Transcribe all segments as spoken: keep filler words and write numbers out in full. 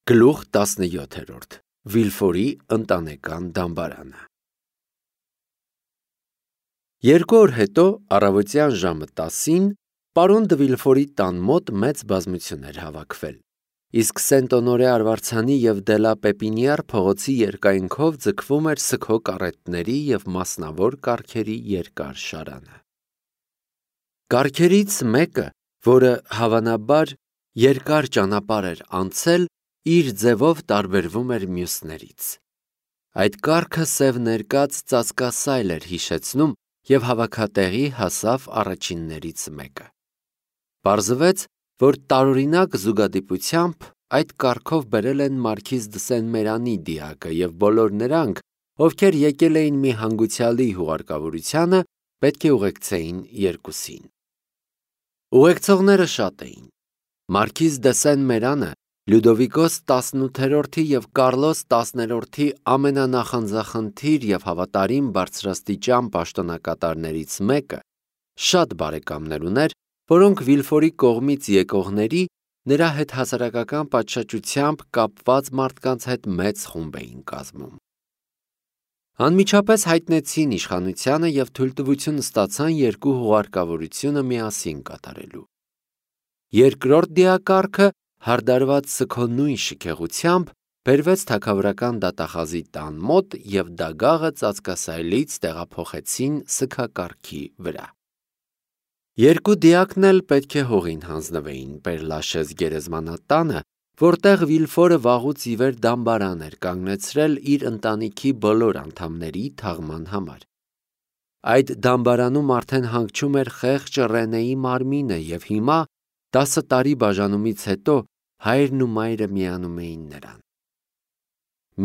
Գլուխ տասնյոթերորդ Վիլֆորի ընտանեկան դամբարանը Երկու օր հետո առավոտյան ժամը տասին պարոն դը Վիլֆորի տան մոտ մեծ բազմություն էր հավաքվել, իսկ Սենտ-Օնորե Արվարձանի և Դելա Պեպինիար փողոցի երկայնքով ձգվում էր սգո կարետների և մասնավոր կառքերի երկար շարանը։ Կառքերից մեկը, որը հավանաբար երկար ճանապարհ էր անցել, իր ձևով տարբերվում էր մյուսներից։ Այդ կառքը սև ներկած ծածկասայլ էր հիշեցնում և հավաքատեղի հասավ առաջիններից մեկը։ Պարզվեց, որ տարօրինակ զուգադիպությամբ այդ կառքով բերել են մարքիզ դը Սեն-Մերանի դիակը և բոլոր նրանք, ովքեր եկել էին մի հանգուցյալի հուղարկավորությանը, պետք է ուղեկցեին երկուսին։ Ուղեկցողները շատ էին։ Մարքիզ դը Սեն-Մերանը Լյուդովիկոս տասնութերորդի և Կարլոս տասներորդի ամենանախանձախնդիր և հավատարիմ բարձրաստիճան պաշտոնակատարներից մեկը, շատ բարեկամներ ուներ, որոնք Վիլֆորի կողմից եկողների, նրա հետ հասարակական պատշաճությամբ կապված մարդկանց հետ մեծ խումբ էին կազմում։ Անմիջապես հայտնեցին իշխանությանը և թույլտվություն ստացան երկու հուղարկավորությունը միասին կատարելու։ Երկրորդ դիակառքը հարդարված սգո նույն շքեղությամբ բերվեց թագավորական դատախազի տան մոտ և դագաղը ծածկասայլից տեղափոխեցին սգակառքի վրա։ Երկու դիակն էլ պետք է հողին հանձնվեին Պեր-Լաշեզ գերեզմանատանը, որտեղ Վիլֆորը վաղուց ի վեր դամբարան էր կանգնեցրել իր ընտանիքի բոլոր անդամների թաղման համար։ Այդ դամբարանում արդեն հանգչում էր խեղճ Ռենեի մարմինը և հիմա, տասը տարի բաժանումից հետո, հայրն ու մայրը միանում էին նրան։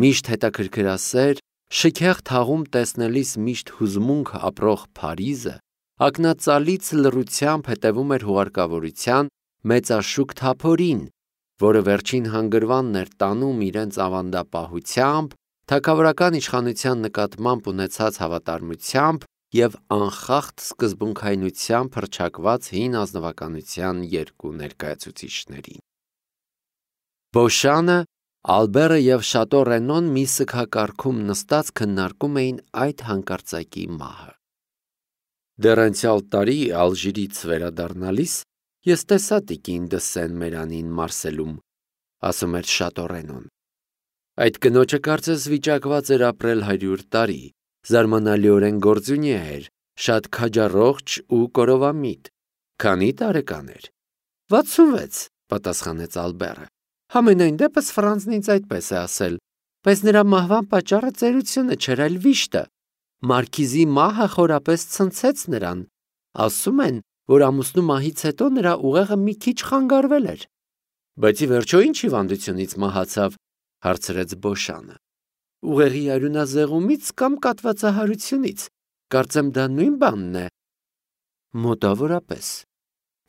Միշտ հետաքրքրասեր, շքեղ թաղում տեսնելիս միշտ հուզմունք ապրող Փարիզը ակնածալից լռությամբ հետևում էր հուղարկավորության մեծաշուք թափորին, որը վերջին հանգրվանն էր տանում իրենց ավանդապահությամբ, թագավորական իշխանության նկատմամբ ունեցած հավատարմությամբ և անխախտ սկզբունքայնությամբ հռչակված հին ազնվականության երկու ներկայացուցիչներին։ Բոշանը, Ալբերը և Շատո Ռենոն մի սգակառքում նստած քննարկում էին այդ հանկարծակի մահը։ Դեռ անցյալ տարի Ալժիրից վերադառնալիս ես տեսա տիկին դը Սեն-Մերանին Մարսելում, ասում էր Շատո Ռենոն։ Այդ կնոջը կարծես վիճակված էր ապրել հարյուր տարի, զարմանալիորեն գործունյա էր, շատ քաջառողջ ու կորովամիտ։ Քանի տարեկան էր։ վաթսունվեց, պատասխանեց Ալբերը։ Համենայն դեպս Ֆրանսն ինձ այդպես է ասել, բայց նրա մահվան պատճառը ծերությունը չէր, այլ վիշտը։ Մարքիզի մահը խորապես ցնցեց նրան։ Ասում են, որ ամուսնու մահից հետո նրա ուղեղը մի քիչ խանգարվել էր։ Բայց ի վերջո ինչ հիվանդությունից մահացավ, հարցրեց Բոշանը։ Ուղեղի արյունազեղումից կամ կաթվածահարությունից, կարծեմ դա նույն բանն է։ Մոտավորապես։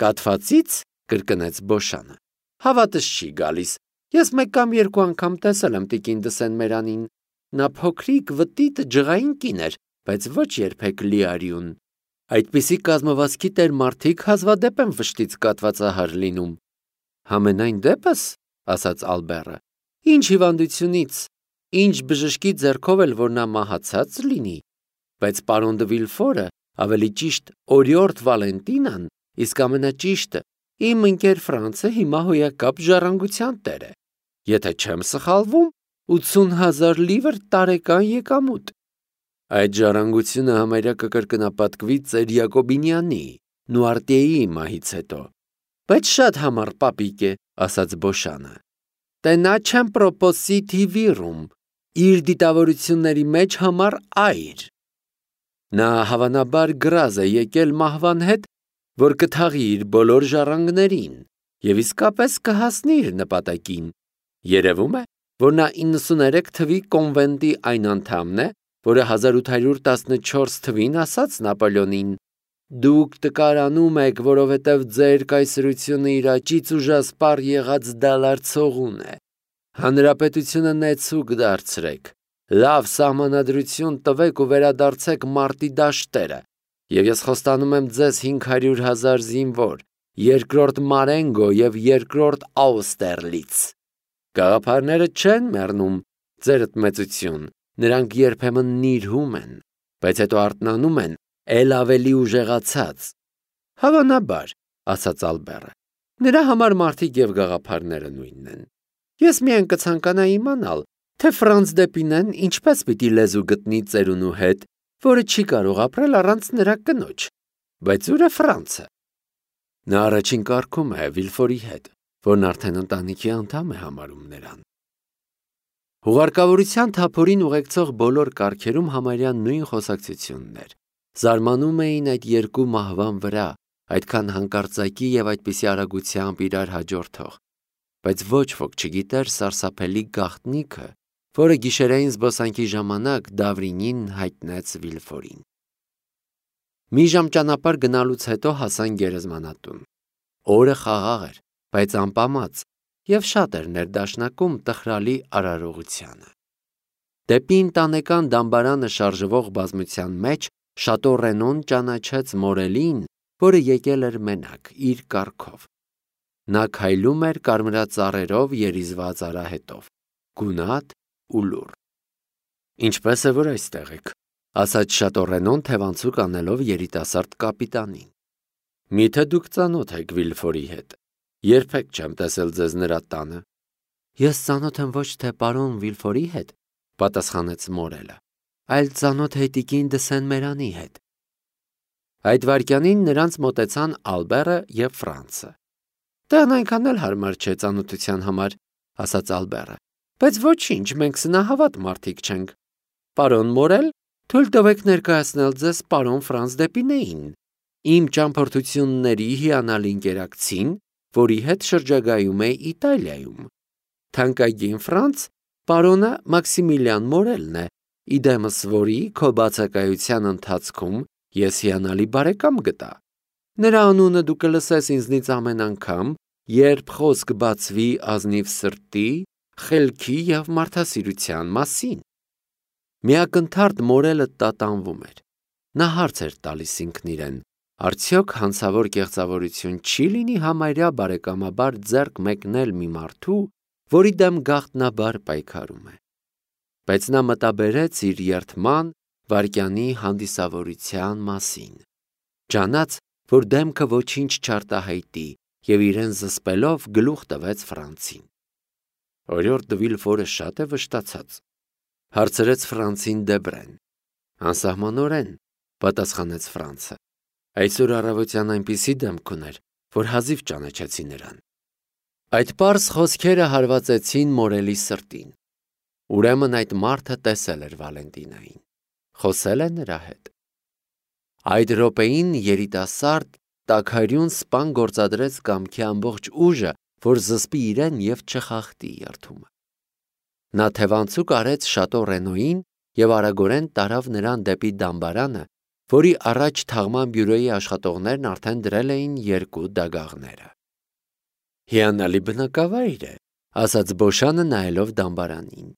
Կաթվածի՞ց, կրկնեց Բոշանը։ Հավատս չի գալիս։ Ես մեկ կամ երկու անգամ տեսել եմ տիկին դը Սեն-Մերանին։ Նա փոքրիկ, վտիտ, ջղային կին էր, բայց ոչ երբեք լի արյուն։ Այդպիսի կազմվածքի տեր մարդիկ հազվադեպ են վշտից կաթվածահար լինում։ Համենայն դեպս, ասաց Ալբերը, ինչ հիվանդությունից, ինչ բժշկի ձեռքով էլ որ նա մահացած լինի, բայց պարոն դը Վիլֆորը, ավելի ճիշտ օրիորդ Վալենտինան, իսկ ամենաճիշտը իմ ընկեր Ֆրանցը հիմա հոյակապ ժառանգության տեր է։ Եթե չեմ սխալվում, ութսուն հազար լիվր տարեկան եկամուտ։ Այդ ժառանգությունը համարյա կկրկնապատկվի ծեր Յակոբինյանի, Նուարտիեի մահից հետո։ Բայց շատ համառ պապիկ է, ասաց Բոշանը։ Տենաչեմ պրոպոսիթի վիրում, իր դիտավորությունների մեջ համառ այր։ Նա հավանաբար գրազ է եկել մահվան հետ, որ կթաղի իր բոլոր ժառանգներին և իսկապես կհասնի իր նպատակին։ Երևում է, որ նա իննսուներեք թվի կոնվենտի այն անդամն է, որը հազար ութ հարյուր տասնչորս թվին ասաց Նապոլեոնին. Դուք տկարանում եք, որովհետև ձեր կայսրությունը իր աճից ուժասպառ եղած դալարձողուն է։ Հանրապետությունը նեցուկ դարձրեք, լավ սահմանադրություն տվեք ու վերադարձեք մարտի դաշտերը, և ես խոստանում եմ ձեզ հինգ հարյուր հազար զինվոր, երկրորդ Մարենգո և երկրորդ Աուստերլից։ Գաղափարները չեն մեռնում, ձերդ մեծություն, նրանք երբեմն նիրհում են, բայց հետո արթնանում են, ել ավելի ուժեղացած։ Հավանաբար, ասաց Ալբերը, նրա համար մարդիկ և գաղափարները նույնն են։ Ես միայն կցանկանայի իմանալ, թե Ֆրանց Դեպինեն ինչպես պիտի լեզու գտնի ծերունու հետ, որը չի կարող ապրել առանց նրա կնոջ, բայց ուր է Ֆրանցը։ Նա առաջին կարգում է Վիլֆորի հետ, որն արդեն ընտանիքի անդամ է համարում նրան։ Հուղարկավորության թափորին ուղեկցող բոլոր կարգերում համարյա նույն խոսակցությունն էր։ Զարմանում էին այդ երկու մահվան վրա, այդքան հանկարծակի և այդպիսի արագությամբ իրար հաջորդող, բայց ոչ ոք չգիտեր սարսափելի գաղտնիքը, որը գիշերային զբոսանքի ժամանակ Դավրինին հայտնեց Վիլֆորին։ Մի ժամ ճանապարհ գնալուց հետո հասան գերեզմանատուն։ Օրը խաղաղ էր, բայց անպամած, և շատ էր ներդաշնակում տխրալի արարողությանը։ Դեպի ընտանեկան դամբարանը շարժվող բազմության մեջ Շատո Ռենոն ճանաչեց Մորելին, որը եկել էր մենակ, իր կառքով։ Նա քայլում էր կարմրածառերով երիզված արահետով, գունատ ու լուռ։ Ինչպես է որ այստեղ եք, ասաց Շատո Ռենոն թևանցուկ անելով երիտասարդ կապիտանին։ Միթե դուք ծանոթ եք Վիլֆորի հետ։ Երբեք չեմ տեսել ձեզ նրա տանը։ Ես ծանոթ եմ ոչ թե պարոն Վիլֆորի հետ, պատասխանեց Մորելը, այլ ծանոթ է տիկին դը Սեն-Մերանի հետ։ Այդ վայրկյանին նրանց մոտեցան Ալբերը և Ֆրանցը։ Տղան այնքան էլ հարմար չէ ծանոթության համար, ասաց Ալբերը, բայց ոչինչ, մենք սնահավատ մարդիկ չենք։ Պարոն Մորել, թույլ տվեք ներկայացնել ձեզ պարոն Ֆրանց Դեպինեին, իմ ճամփորդությունների հիանալի ընկերակցին, որի հետ շրջագայում է Իտալիայում։ Թանկագին Ֆրանց, պարոնը Մաքսիմիլիան Մորելն է, իդեմս որի քո բացակայության ընթացքում ես հիանալի բարեկամ գտա։ Նրա անունը դու կլսես ինձնից ամեն անգամ, երբ խոսք բացվի ազնիվ սրտի, խելքի և մարդասիրության մասին։ Միակնթարթ Մորելը տատանվում էր։ Նա հարց էր տալիս ինքն իրեն, արդյոք հանցավոր կեղծավորություն չի լինի համարյա բարեկամաբար ձեռք մեկնել մի մարդու, որի դեմ գաղտնաբար պայքարում է։ Բայց նա մտաբերեց իր երդման վայրկյանի հանդիսավորության մասին։ Ջանաց, որ դեմքը ոչինչ չարտահայտի և իրեն զսպելով գլուխ տվեց Ֆրանցին։ Օրիորդ Վիլֆորը շատ է վշտացած, հարցրեց Ֆրանցին Դեբրեն։ Անսահմանորեն, պատասխանեց Ֆրանցը։ Այսօր առավոտյան այնպիսի դեմք ուներ, որ հազիվ ճանաչեցի նրան։ Այդ պարզ խոսքերը հարվածեցին Մորելի սրտին։ Ուրեմն այդ մարդը տեսել էր Վալենտինային, խոսել է նրա հետ։ Այդ րոպեին երիտասարդ, տաքարյուն սպան գործադրեց կամքի ամբողջ ուժը, որ զսպի իրեն և չխախտի երդումը։ Նա թևանցուկ արեց Շատո Ռենոյին և արագորեն տարավ նրան դեպի դամբարանը, որի առաջ թաղման բյուրոյի աշխատողներն արդեն դրել էին երկու դագաղները։ Հիանալի բնակավայր է, ասաց Բոշանը նայելով դամբարանին։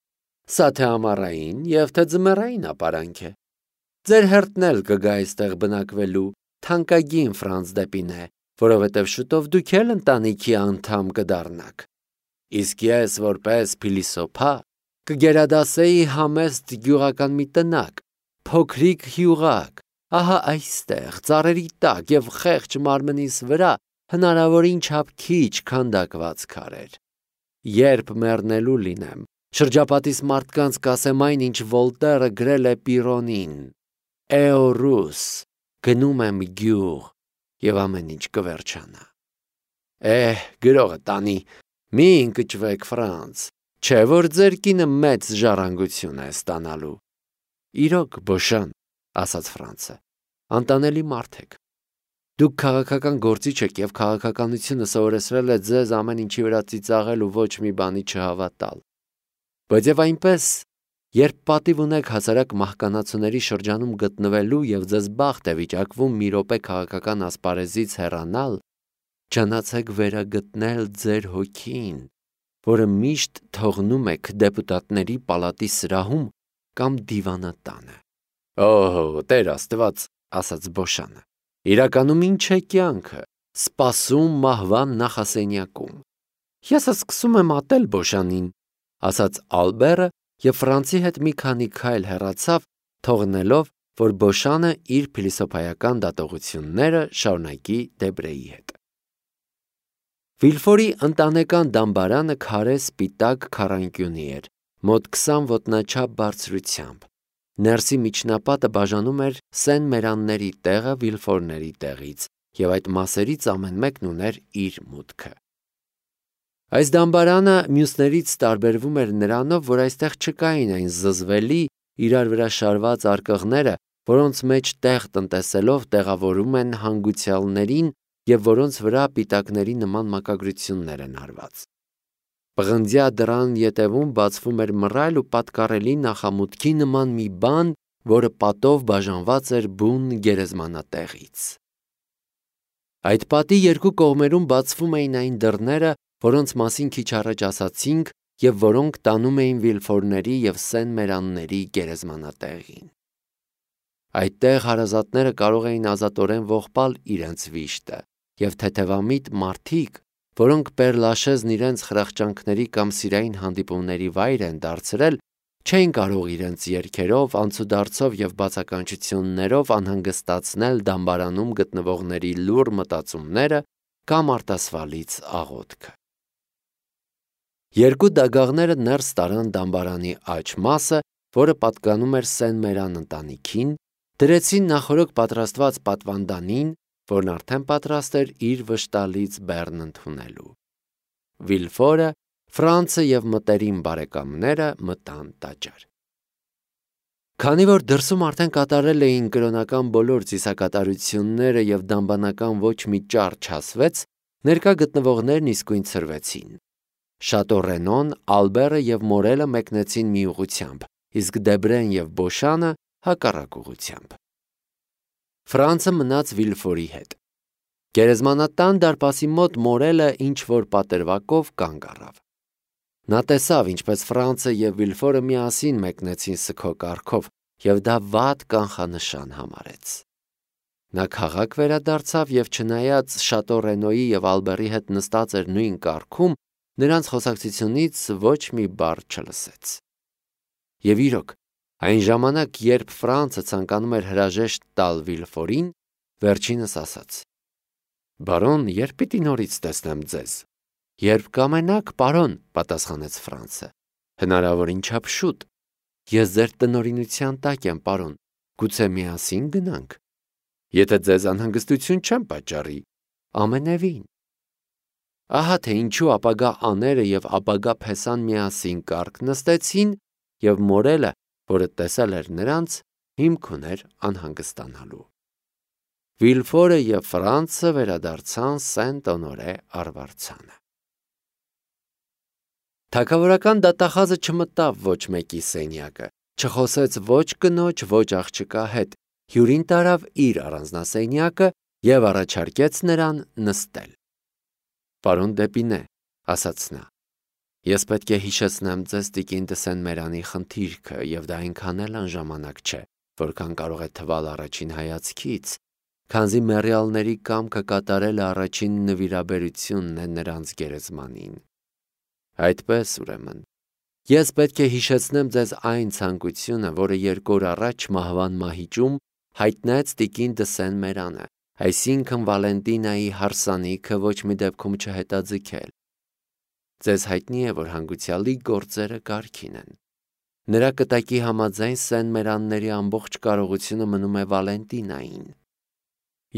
Սա թե ամառային և թե ձմեռային ապարանք է։ Ձեր հերթն էլ կգա այստեղ բնակվելու, թանկագին Ֆրանց Դեպինե, որովհետև շուտով դուք էլ ընտանիքի անդամ կդառնաք։ Իսկ ես որպես փիլիսոփա կգերադասեի համեստ գյուղական մի տնակ, փոքրիկ հյուղակ, ահա այստեղ, ծառերի տակ և խեղճ մարմնիս վրա հնարավորին չափ քիչ քանդակված քարեր։ Երբ մեռնելու լինեմ, շրջապատիս մարդկանց կասեմ այն, ինչ Վոլտերը գրել է Պիրոնին. «Էորուս, գնում եմ գյուղ, և ամեն ինչ կվերջանա»։ Էհ, գրողը տանի, մի ընկճվեք Ֆրանց, չէ որ ձեր կինը մեծ ժառանգություն է ստանալու։ Իրոք, Բոշան, ասաց Ֆրանցը, անտանելի մարդ եք։ Դուք քաղաքական գործիչ եք և քաղաքականությունը սովորեցրել է ձեզ ամեն ինչի վրա ծիծաղել ու ոչ մի բանի չհավատալ։ Բայց և այնպես, երբ պատիվ ունեք հասարակ մահկանացուների շրջանում գտնվելու և ձեզ բախտ է վիճակվում մի րոպե քաղաքական ասպարեզից հեռանալ, ճանաչեք վերագտնել ձեր հոգին, որը միշտ թողնում եք դեպուտատների պալատի սրահում կամ դիվանատանը։ Օհո, Տեր Աստված, ասաց Բոշանը, իրականում ինչ է կյանքը, սպասում մահվան նախասենյակում։ Ես սկսում եմ ատել Բոշանին, ասաց Ալբերը և Ֆրանցի հետ մի քանի քայլ հեռացավ, թողնելով, որ Բոշանը իր փիլիսոփայական դատողությունները շարունակի Դեբրեի հետ։ Վիլֆորի ընտանեկան դամբարանը քարե սպիտակ քառանկյունի էր, մոտ քսան ոտնաչափ բարձրությամբ։ Ներսի միջնապատը բաժանում էր Սեն Մերանների տեղը Վիլֆորների տեղից, և այդ մասերից ամեն մեկն ուներ իր մուտքը։ Այս դամբարանը մյուսներից տարբերվում էր նրանով, որ այստեղ չկային այն զզվելի, իրար վրա շարված արկղները, որոնց մեջ տեղ տնտեսելով տեղավորում են հանգուցյալներին և որոնց վրա պիտակների նման մակագրություններ են արված։ Պղնձյա դռան ետևում բացվում էր մռայլ ու պատկառելի նախամուտքի նման մի բան, որը պատով բաժանված էր բուն գերեզմանատեղից։ Այդ պատի երկու կողմերում բացվում էին այն դռները, որոնց մասին քիչ առաջ ասացինք և որոնք տանում էին Վիլֆորների և Սեն Մերանների գերեզմանատեղին։ Այդտեղ հարազատները կարող էին ազատորեն ողբալ իրենց վիշտը, և թեթևամիտ մարդիկ, որոնք Պեր-Լաշեզն իրենց խրախճանքների կամ սիրային հանդիպումների վայր են դարձրել, չէին կարող իրենց երգերով, անցուդարձով և բացականչություններով անհանգստացնել դամբարանում գտնվողների լուռ մտածումները կամ արտասվալից աղոթքը։ Երկու դագաղները ներս տարան դամբարանի աջ մասը, որը պատկանում էր Սեն Մերան ընտանիքին, դրեցին նախօրոք պատրաստված պատվանդանին, որն արդեն պատրաստ էր իր վշտալից բեռն ընդունելու։ Վիլֆորը, Ֆրանցը և մտերիմ բարեկամները մտան տաճար։ Քանի որ դրսում արդեն կատարել էին կրոնական բոլոր ծիսակատարությունները և դամբանական ոչ մի ճառ չասվեց, ներկա գտնվողներն իսկույն ցրվեցին։ Շատո Ռենոն, Ալբերը և Մորելը մեկնեցին մի ուղղությամբ, իսկ Դեբրեն և Բոշանը հակառակ ուղղությամբ։ Ֆրանցը մնաց Վիլֆորի հետ։ Գերեզմանատան դարպասի մոտ Մորելը ինչ-որ պատրվակով կանգ առավ։ Նա տեսավ, ինչպես Ֆրանցը և Վիլֆորը միասին մեկնեցին սգո կառքով, և դա վատ կանխանշան համարեց։ Նա քաղաք վերադարձավ և չնայած Շատո Ռենոյի և Ալբերի հետ նստած էր նույն կառքում, նրանց խոսակցությունից ոչ մի բառ չլսեց։ Եվ իրոք, այն ժամանակ, երբ Ֆրանցը ցանկանում էր հրաժեշտ տալ Վիլֆորին, վերջինս ասաց. «Բարոն, երբ պիտի նորից տեսնեմ ձեզ»։ «Երբ կամենաք, պարոն», պատասխանեց Ֆրանցը։ «Հնարավորին չափ շուտ։ Ես ձեր տնօրինության տակ եմ, պարոն, գուցե միասին գնանք»։ «Եթե ձեզ անհանգստություն չեմ պատճառի»։ «Ամենևին»։ Ահա թե ինչու ապագա աները և ապագա փեսան միասին կառք նստեցին, և Մորելը, որը տեսել էր նրանց, հիմք ուներ անհանգստանալու։ Վիլֆորը և Ֆրանցը վերադարձան Սենտ-Օնորե արվարձանը։ Թագավորական դատախազը չմտավ ոչ մեկի սենյակը, չխոսեց ոչ կնոջ, ոչ աղջկա հետ, հյուրին տարավ իր առանձնասենյակը և առաջարկեց նրան նստել։ «Պարոն Դեպինե», ասաց նա, «ես պետք է հիշեցնեմ ձեզ տիկին դը Սեն Մերանի խնդիրքը, և դա այնքան էլ անժամանակ չէ, որքան կարող է թվալ առաջին հայացքից, քանզի մեռյալների կամքը կատարելը առաջին նվիրաբերությունն է նրանց գերեզմանին։ Այդպես, ուրեմն, ես պետք է հիշեցնեմ ձեզ այն ցանկությունը, որը երկու օր առաջ մահվան մահիճում հայտնեց տիկին դը Սեն Մերանը, այսինքն Վալենտինայի հարսանիքը ոչ մի դեպքում չհետաձգել։ Ձեզ հայտնի է, որ հանգուցյալի գործերը կարգին են։ Նրա կտակի համաձայն Սեն Մերանների ամբողջ կարողությունը մնում է Վալենտինային։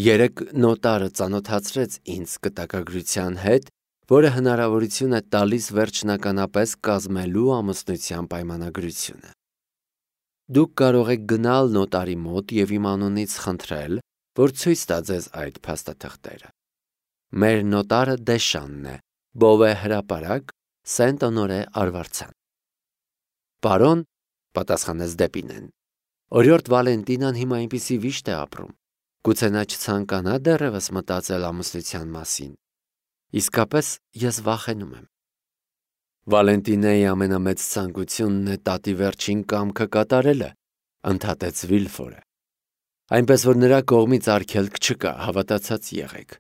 Երեկ նոտարը ծանոթացրեց ինձ կտակագրության հետ, որը հնարավորություն է տալիս վերջնականապես կազմելու ամուսնության պայմանագրությունը։ Դուք կարող եք գնալ նոտարի մոտ և իմ անունից խնդրել, որ ցույց տա ձեզ այդ փաստաթղթերը։ Մեր նոտարը Դեշանն է, Բովե հրապարակ, Սենտ-Օնորե արվարձան։ Պարոն, պատասխանեց Դեպինեն, օրիորդ Վալենտինան հիմա այնպիսի վիշտ է ապրում, գուցե նա չցանկանա դեռևս մտածել ամուսնության մասին։ Իսկապես ես վախենում եմ։ Վալենտինեի ամենամեծ ցանկությունն է տատի վերջին կամքը կատարելը, ընդհատեց Վիլֆորը։ Այնպես որ նրա կողմից արգելք չկա, հավատացած եղեք։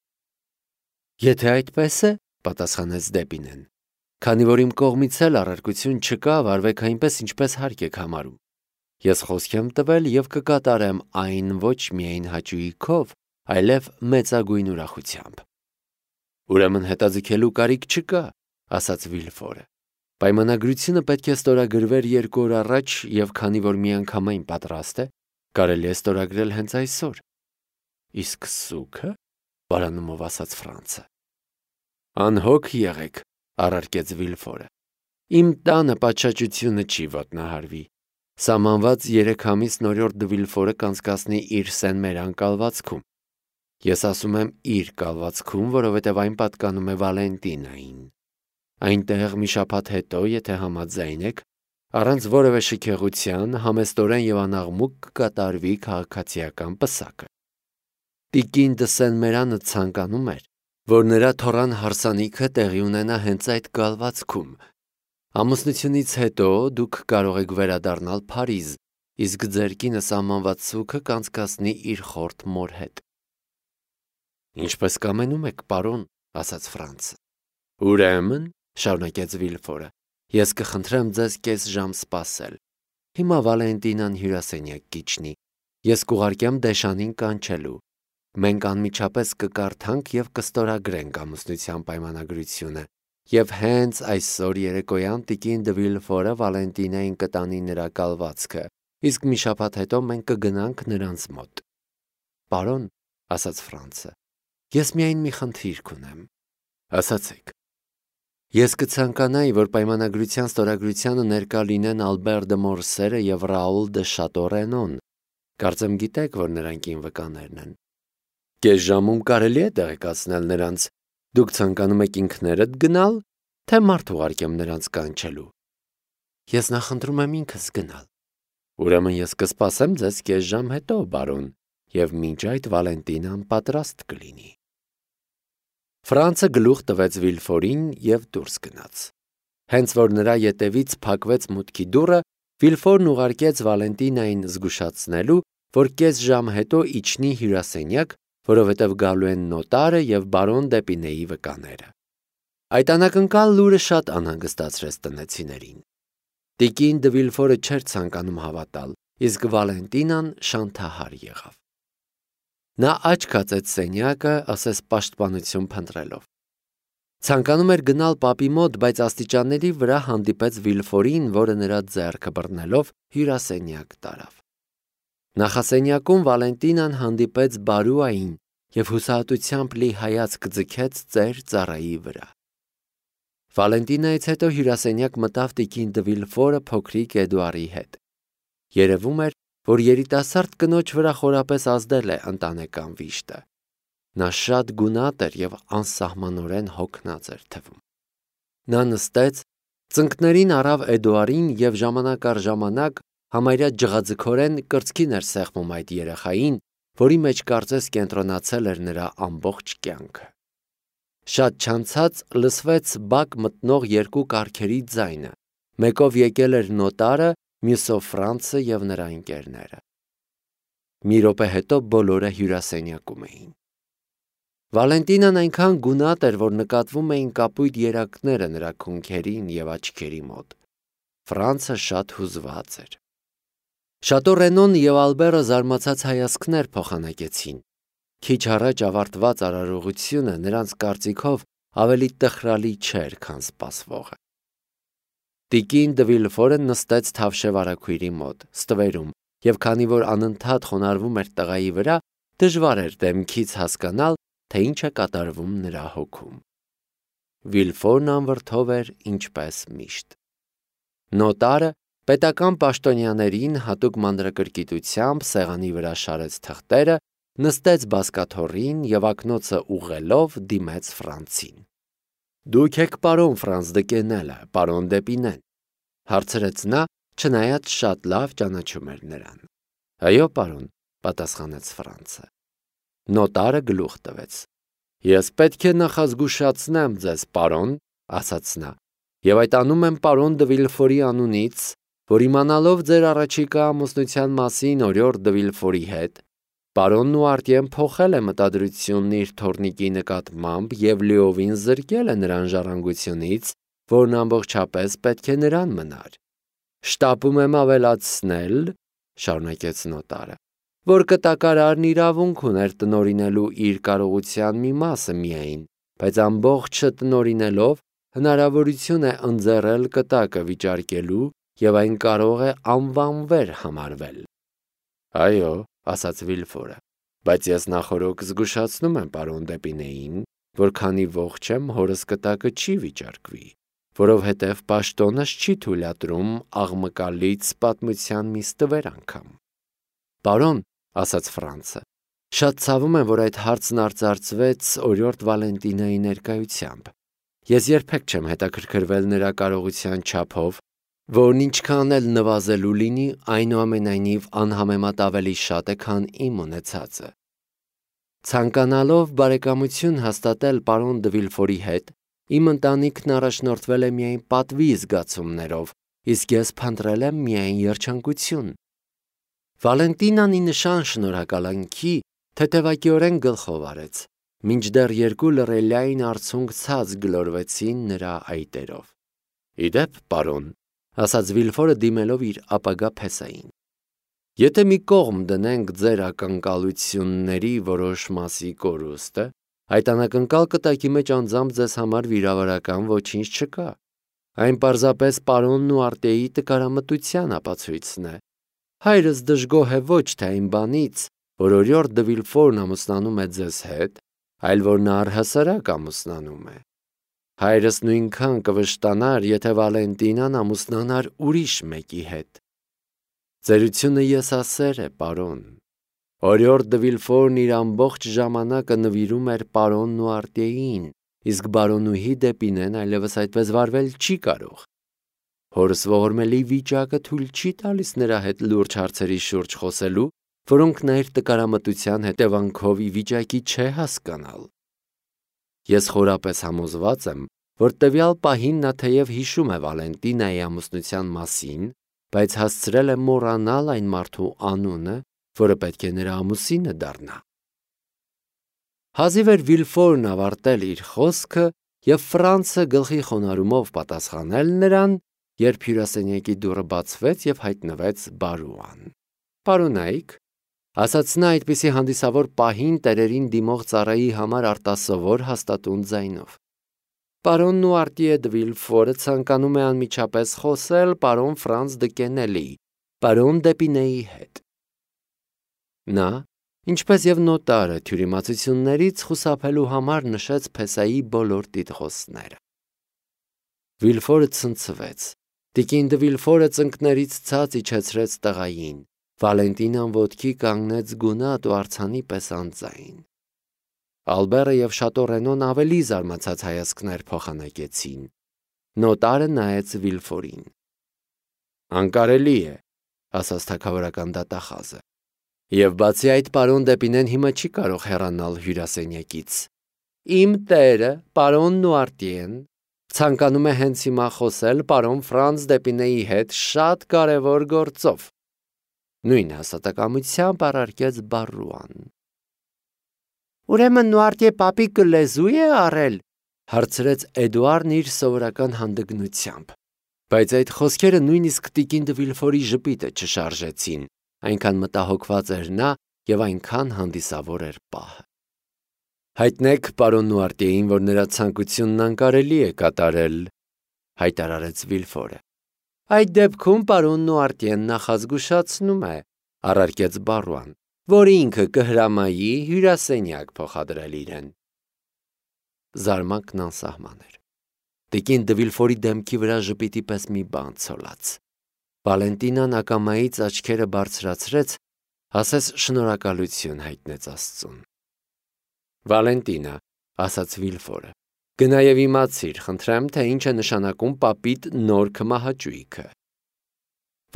Եթե այդպես է, պատասխանեց Դեպինեն, Քանի որ իմ կողմից էլ առարկություն չկա, վարվեք այնպես, ինչպես հարկ եք համարում։ Ես խոսք եմ տվել եւ կկատարեմ այն ոչ միայն հաճույքով, այլև մեծագույն ուրախությամբ։ Ուրեմն հետաձգելու կարիք չկա, ասաց Վիլֆորը։ Պայմանագրությունը պետք է ստորագրվեր երկու օր առաջ եւ քանի որ միանգամայն պատրաստ է, կարելի է ստորագրել հենց այսօր։ Իսկ սուքը, բարանումով ասաց Ֆրանցը։ Անհոգ եղեք, առարկեց Վիլֆորը։ Իմ տանը պատշաճությունը չի ոտնահարվի։ Սահմանված երեք ամիս նորորդ Վիլֆորը կանցկացնի իր սենմերան կալվածքում։ Ես ասում եմ իր կալվածքում, որովհետև այն պատկանում է Վալենտինային։ Այնտեղ մի շաբաթ հետո, եթե համաձայն եք, առանց որևէ շքեղության, համեստորեն եւ անաղմուկ կկատարվի քաղաքացիական պսակը։ Տիկին դը Սենմերանը ցանկանում էր, որ նրա թորան հարսանիքը տեղի ունենա հենց այդ կալվածքում։ Ամուսնությունից հետո դուք կարող եք վերադառնալ Փարիզ, իսկ ձեր կինը սահմանված սուքը կանցկացնի իր խորթ մոր հետ։ Ինչպես կամենում եք, պարոն, ասաց Ֆրանցը։ Ուրեմն, շարունակեց Վիլֆորը, ես կխնդրեմ ձեզ կես ժամ սպասել։ Հիմա Վալենտինան հյուրասենյակ կիջնի։ Ես կուղարկեմ Դեշանին կանչելու։ Մենք անմիջապես կկարդանք եւ կստորագրենք ամուսնության պայմանագրությունը։ Եվ հենց այսօր երեկոյան տիկին դը Վիլֆորը Վալենտինային կտանի նրա կալվածքը, իսկ մի շաբաթ հետո մենք կգնանք նրանց մոտ։ Պարոն, ասաց Ֆրանցը, ես միայն մի խնդիր կունեմ։ Ասացեք։ Ես կցանկանայի, որ պայմանագրության ստորագրությանը ներկա լինեն Ալբեր դը Մորսերը եւ Ռաուլ դը Շատորենոն։ Կարծեմ գիտեք, որ նրանք ին վկաներն են։ Կես ժամում կարելի է տեղեկացնել նրանց։ Դուք ցանկանում եք ինքներդ գնալ, թե մարդ ուղարկեմ նրանց կանչելու։ Ես նախընտրում եմ ինքս գնալ։ Ուրեմն ես կսպասեմ ձեզ կես ժամ հետո, բարոն, եւ մինչ այդ Վալենտինան պատրաստ կլինի։ Ֆրանցը գլուխ տվեց Վիլֆորին եւ դուրս գնաց։ Հենց որ նրա ետևից փակվեց մուտքի դուռը, Վիլֆորն ուղարկեց Վալենտինային զգուշացնելու, որ կես ժամ հետո իջնի հյուրասենյակ, որովհետև գալու են նոտարը եւ բարոն Դեպինեի վկաները։ Այդ անակնկալ լուրը շատ անհանգստացրեց տնեցիներին։ Տիկին դը Վիլֆորը չէր ցանկանում հավատալ, իսկ Վալենտինան շանթահար եղավ։ Նա աչք հացեց սենյակը, ասես պաշտպանություն փնտրելով։ Ցանկանում էր գնալ պապի մոտ, բայց աստիճանների վրա հանդիպեց Վիլֆորին, որը նրա ձեռքը բռնելով հյուրասենյակ տարավ։ Նախասենյակում Վալենտինան հանդիպեց Բարուային եւ հուսահատությամբ լի հայացք ձգեց ծեր ծառայի վրա։ Վալենտինայից հետո հյուրասենյակ մտավ տիկին դը Վիլֆորը փոքրիկ Էդուարի հետ։ Երևում էր, որ երիտասարդ կնոջ վրա խորապես ազդել է ընտանեկան վիշտը։ Նա շատ գունատ էր եւ անսահմանորեն հոգնած էր թվում։ Նա նստեց, ծնկներին առավ Էդուարին եւ ժամանակ առ ժամանակ համարյա ջղաձգորեն կրծքին էր սեղմում այդ երեխային, որի մեջ կարծես կենտրոնացել էր նրա ամբողջ կյանքը։ Շատ չանցած լսվեց բակ մտնող երկու կառքերի ձայնը։ Մեկով եկել էր նոտարը, մյուսով Ֆրանցը եւ նրա ընկերները։ Մի րոպե հետո բոլորը հյուրասենյակում էին։ Վալենտինան այնքան գունատ էր, որ նկատվում էին կապույտ երակները նրա քունքերին եւ աչքերի մոտ։ Ֆրանցը շատ հուզված էր։ Շատորենոն եւ Ալբերը զարմացած հայացքներ փոխանակեցին։ Քիչ առաջ ավարտված արարողությունը նրանց կարծիքով ավելի տխրալի չէր, քան սպասվողը։ Տիկին դը Վիլֆորը նստեց թավշե վարագույրի մոտ, ստվերում, եւ քանի որ անընդհատ խոնարհվում էր տղայի վրա, դժվար էր դեմքից հասկանալ, թե ինչ է կատարվում նրա հոգում։ Վիլֆորն անվրդով էր ինչպես միշտ։ Նոտարը պետական պաշտոնյաներին հատուկ մանրակրկիտությամբ սեղանի վրա շարեց թղթերը, նստեց բազկաթոռին եւ ակնոցը ուղղելով դիմեց Ֆրանցին։ Դուք եք պարոն Ֆրանց դը Կենելը, պարոն Դեպինեն, հարցրեց նա, չնայած շատ լավ ճանաչում էր նրան։ Այո, պարոն, պատասխանեց Ֆրանցը։ Նոտարը գլուխ տվեց։ Ես պետք է նախազգուշացնեմ ձեզ, պարոն, ասաց նա, եւ այդ անում եմ պարոն դը Վիլֆորի անունից, որ իմանալով ձեր առաջիկա ամուսնության մասին օրիորդ դը Վիլֆորի հետ, պարոնն ու Արտիեն փոխել է մտադրությունն իր թորնիկի նկատմամբ եւ լիովին զրկել է նրան ժառանգությունից որն ամբողջապես պետք է նրան մնար։ Շտապում եմ ավելացնել, շարունակեց նոտարը, որ կտակարարն իրավունք ուներ տնօրինելու իր կարողության մի մասը միայն, բայց ամբողջը տնօրինելով հնարավորություն է ընձեռել կտակը վիճարկելու և այն կարող է անվանվեր համարվել։ Այո, ասաց Վիլֆորը, բայց ես նախօրոք զգուշացնում եմ պարոն Դեպինեին, որ քանի ողջ եմ, հորս կտակը չի վիճարկվի, որովհետև պաշտոնս չի թույլատրում աղմկալից պատմության մի ստվեր անգամ։ Պարոն, ասաց Ֆրանցը, շատ ցավում եմ, որ այդ հարցն արծարծվեց օրիորդ Վալենտինայի ներկայությամբ։ Ես երբեք չեմ հետաքրքրվել նրա կարողության չափով, որն ինչքան էլ նվազելու լինի, այնուամենայնիվ անհամեմատ ավելի շատ է, քան իմ ունեցածը։ Ցանկանալով բարեկամություն հաստատել պարոն դը Վիլֆորի հետ, իմ ընտանիքն առաջնորդվել է միայն պատվի զգացումներով, իսկ ես փնտրել եմ միայն երջանկություն։ Վալենտինան ի նշան շնորհակալանքի թեթևակիորեն գլխով արեց, մինչդեռ երկու լռելիային արցունք ցած գլորվեցին նրա այտերով։ Իդեպ, պարոն, ասաց Վիլֆորը դիմելով իր ապագա փեսային, եթե մի կողմ դնենք ձեր ակնկալությունների որոշ մասի կորուստը, այդ անակնկալ կտակի մեջ անձամբ ձեզ համար վիրավորական ոչինչ չկա։ Այն պարզապես պարոնն ու արտեի տկարամտության ապացույցն է։ Հայրս դժգոհ է ոչ թե այն բանից, որ օրիորդ դը Վիլֆորն ամուսնանում է ձեզ հետ, այլ որ նա առհասարակ ամուսնանում է։ Հայրս նույնքան կվշտանար, եթե Վալենտինան ամուսնանար ուրիշ մեկի հետ։ Ծերությունը եսասեր է, պարոն։ Օրիորդ դը Վիլֆորն իր ամբողջ ժամանակը նվիրում էր պարոնն ու արտեին, իսկ բարոնուհի Դեպինեն այլևս այդպես վարվել չի կարող։ Հորս ողորմելի վիճակը թույլ չի տալիս նրա հետ լուրջ հարցերի շուրջ խոսելու, որոնք նա իր տկարամտության հետևանքով ի վիճակի չէ հասկանալ։ Ես խորապես համոզված եմ, որ տվյալ պահին նա թեև հիշում է Վալենտինայի ամուսնության մասին, բայց հասցրել է մոռանալ այն մարդու անունը, որը պետք է նրա ամուսինը դառնա։ Հազիվ էր Վիլֆորն ավարտել իր խոսքը և Ֆրանցը գլխի խոնարհումով պատասխանել նրան, երբ հյուրասենյակի դուռը բացվեց և հայտնվեց Բարուան։ Պարոնայք, ասաց նա այդպիսի հանդիսավոր պահին տերերին դիմող ծառայի համար արտասովոր հաստատուն ձայնով։ Պարոնն ու արտիե դը Վիլֆորը ցանկանում է անմիջապես խոսել պարոն Ֆրանց դը Կենելի, պարոն Դեպինեի հետ։ Նա, ինչպես և նոտարը, թյուրիմացություններից խուսափելու համար նշեց փեսայի բոլոր տիտղոսները։ Վիլֆորը ցնցվեց։ Տիկին դը Վիլֆորը ծնկներից ցած իջեցրեց տղային։ Վալենտինան ոտքի կանգնեց գունատ ու արձանի պես անձայն։ Ալբերը և Շատո Ռենոն ավելի զարմացած հայացքներ փոխանակեցին։ Նոտարը նայեց Վիլֆորին։ Անկարելի է, ասաց թագավորական դատախազը։ Եվ բացի այդ, պարոն Դեպինեն հիմա չի կարող հեռանալ հյուրասենյակից։ Իմ տերը, պարոնն ու արտիեն, ցանկանում է հենց հիմա խոսել պարոն Ֆրանց Դեպինեի հետ շատ կարևոր գործով։ Նույն հաստատակամությամբ առարկեց Բարուան։ Ուրեմն Նուարտիե պապիկը լեզու է առել, հարցրեց Էդուարդն իր սովորական հանդգնությամբ։ Բայց այդ խոսքերը նույնիսկ տիկին դը Վիլֆորի ժպիտը չշարժեցին, այնքան մտահոգված էր նա և այնքան հանդիսավոր էր պահը։ Հայտնեք պարոն Նուարտիեին, որ նրա ցանկությունն անկարելի է կատարել, հայտարարեց Վիլֆորը։ Այդ դեպքում պարոն Նուարտիեն նախազգուշացնում է, առարկեց Բարուան, որ ինքը կհրամայի հյուրասենյակ փոխադրել իրեն։ Զարմանքն անսահման էր։ Տիկին դը Վիլֆորի դեմքի վրա ժպիտի պես մի բան ցոլած։ Վալենտինան ակամայից աչքերը բարձրացրեց, ասես շնորհակալություն հայտնեց Աստծուն։ Վալենտինա, ասաց Վիլֆորը, գնա և իմացիր, խնդրեմ, թե ինչ է նշանակում պապիտ նոր քմահաճույքը։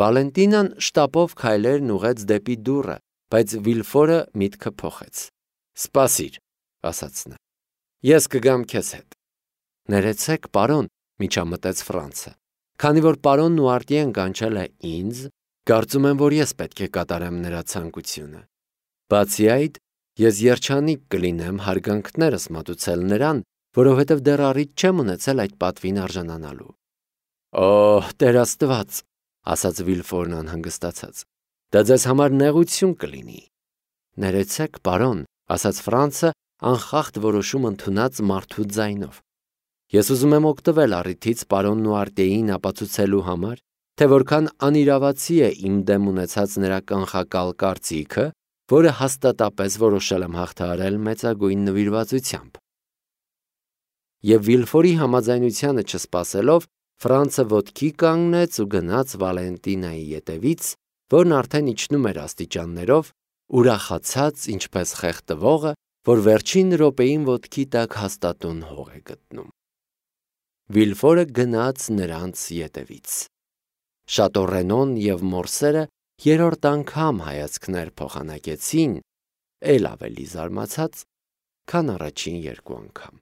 Վալենտինան շտապով քայլերն ուղղեց դեպի դուռը, բայց Վիլֆորը միտքը փոխեց։ Սպասիր, ասաց նա, ես կգամ քեզ հետ։ Ներեցեք, պարոն, միջամտեց Ֆրանցը, քանի որ պարոն Նուարտիեն կանչել է ինձ, կարծում եմ, որ ես պետք է կատարեմ նրա ցանկությունը։ Բացի այդ, ես երջանիկ կլինեմ հարգանքներս մատուցել նրան, որովհետև դեռ առիթ չեմ ունեցել այդ պատվին արժանանալու։ Օհ, Տեր Աստված, ասաց Վիլֆորն անհանգստացած, դա ձեզ համար նեղություն կլինի։ Ներեցեք, պարոն, ասաց Ֆրանցը անխախտ որոշում ընդունած մարդու ձայնով։ Ես ուզում եմ օգտվել առիթից պարոնն ու Արտեին ապացուցելու համար, թե որքան անիրավացի է իմ դեմ ունեցած նրա կանխակալ կարծիքը, որը հաստատապես որոշել եմ հաղթահարել մեծագույն նվիրվածությամբ։ Եվ Վիլֆորի համաձայնությանը չսպասելով, Ֆրանցը ոտքի կանգնեց ու գնաց Վալենտինայի ետևից, որն արդեն իջնում էր աստիճաններով, ուրախացած ինչպես խեղդվողը, որ վերջին րոպեին ոտքի տակ հաստատուն հող է գտնում։ Վիլֆորը գնաց նրանց ետևից։ Շատո Ռենոն և մորսերը երրորդ անգամ հայացքներ փոխանակեցին, էլ ավելի զարմացած, քան առաջին երկու անգամ։